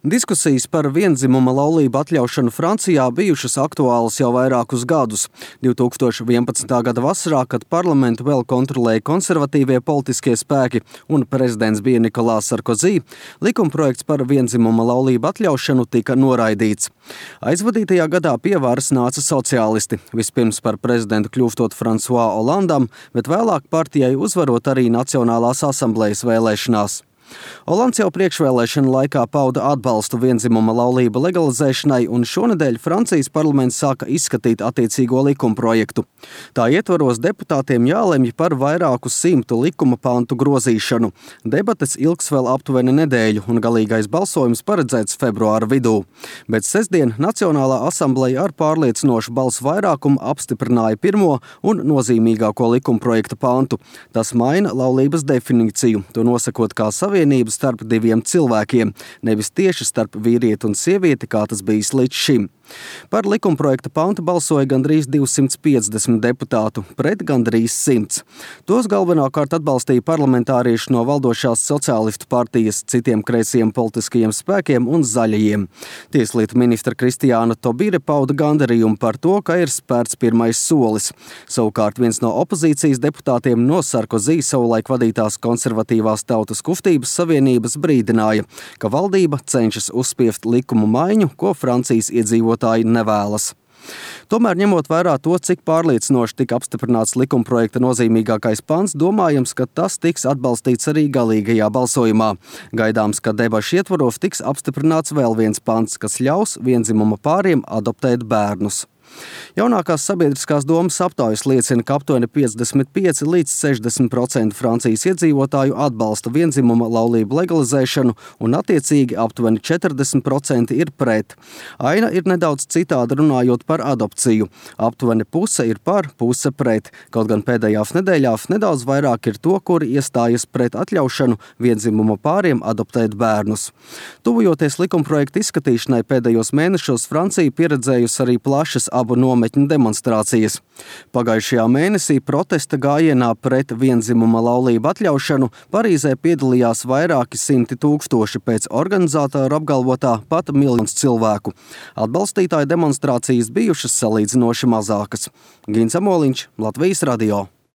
Diskusijas par vienzimuma laulību atļaušanu Francijā bijušas aktuālas jau vairākus gadus. 2011. gada vasarā, kad parlamentu vēl kontrolēja konservatīvie politiskie spēki un prezidents bija Nikolās Sarkozī, likumprojekts par vienzimuma laulību atļaušanu tika noraidīts. Aizvadītajā gadā pie varas nāca sociālisti, vispirms par prezidentu kļūstot François Hollandam, bet vēlāk partijai uzvarot arī Nacionālās asamblejas vēlēšanās. Holands jau priekšvēlēšana laikā pauda atbalstu vienzimuma laulību legalizēšanai, un šonedēļ Francijas parlaments sāka izskatīt attiecīgo likumprojektu. Tā ietvaros deputātiem jālemj par vairāku 100 likuma pantu grozīšanu. Debates ilgs vēl aptuveni nedēļu, un galīgais balsojums paredzēts februāra vidū. Bet sestdien Nacionālā asambleja ar pārliecinošu balsu vairākumu apstiprināja pirmo un nozīmīgāko likumprojekta pantu. Tas maina laulības definīciju, to nosakot kā savienību starp diviem cilvēkiem, nevis tieši starp vīrieti un sievieti, kā tas bijis līdz šim. Par likumprojekta pantu balsoja gandrīz 250 deputātu, pret gandrīz 100. Tos galvenokārt atbalstīja parlamentārieši no valdošās sociālistu partijas, citiem kreisiem politiskajiem spēkiem un zaļajiem. Tieslietu ministra Kristiāna Tobire pauda gandarījumu par to, ka ir spērts pirmais solis. Savukārt viens no opozīcijas deputātiem no Sarkozī savulaik vadītās konservatīvās tautas kustības savienības brīdināja, ka valdība cenšas uzspiest likumu maiņu, ko Francijas iedzīvotāji nevēlas. Tomēr, ņemot vērā to, cik pārliecinoši tika apstiprināts likumprojekta nozīmīgākais pants, domājams, ka tas tiks atbalstīts arī galīgajā balsojumā. Gaidāms, ka debašu ietvaros tiks apstiprināts vēl viens pants, kas ļaus vienzimuma pāriem adoptēt bērnus. Jaunākās sabiedriskās domas aptaujas liecina, ka aptuveni 55 līdz 60% Francijas iedzīvotāju atbalsta vienzimuma laulību legalizēšanu un attiecīgi aptuveni 40% ir pret. Aina ir nedaudz citāda runājot par adopciju. Aptuveni puse ir par, puse pret, kaut gan pēdējās nedēļās nedaudz vairāk ir to, kuri iestājas pret atļaušanu vienzimuma pāriem adoptēt bērnus. Tuvojoties likumprojekta izskatīšanai pēdējos mēnešos, Francija pieredzējusi arī plašas abu nometņu demonstrācijas. Pagājušajā mēnesī protesta gājienā pret vienzimuma laulību atļaušanu Parīzē piedalījās vairāki 100 tūkstoši, pēc organizātoru apgalvotā pat 1 miljons cilvēku. Atbalstītāju demonstrācijas bijušas salīdzinoši mazākas. Gins Amoliņš, Latvijas radio.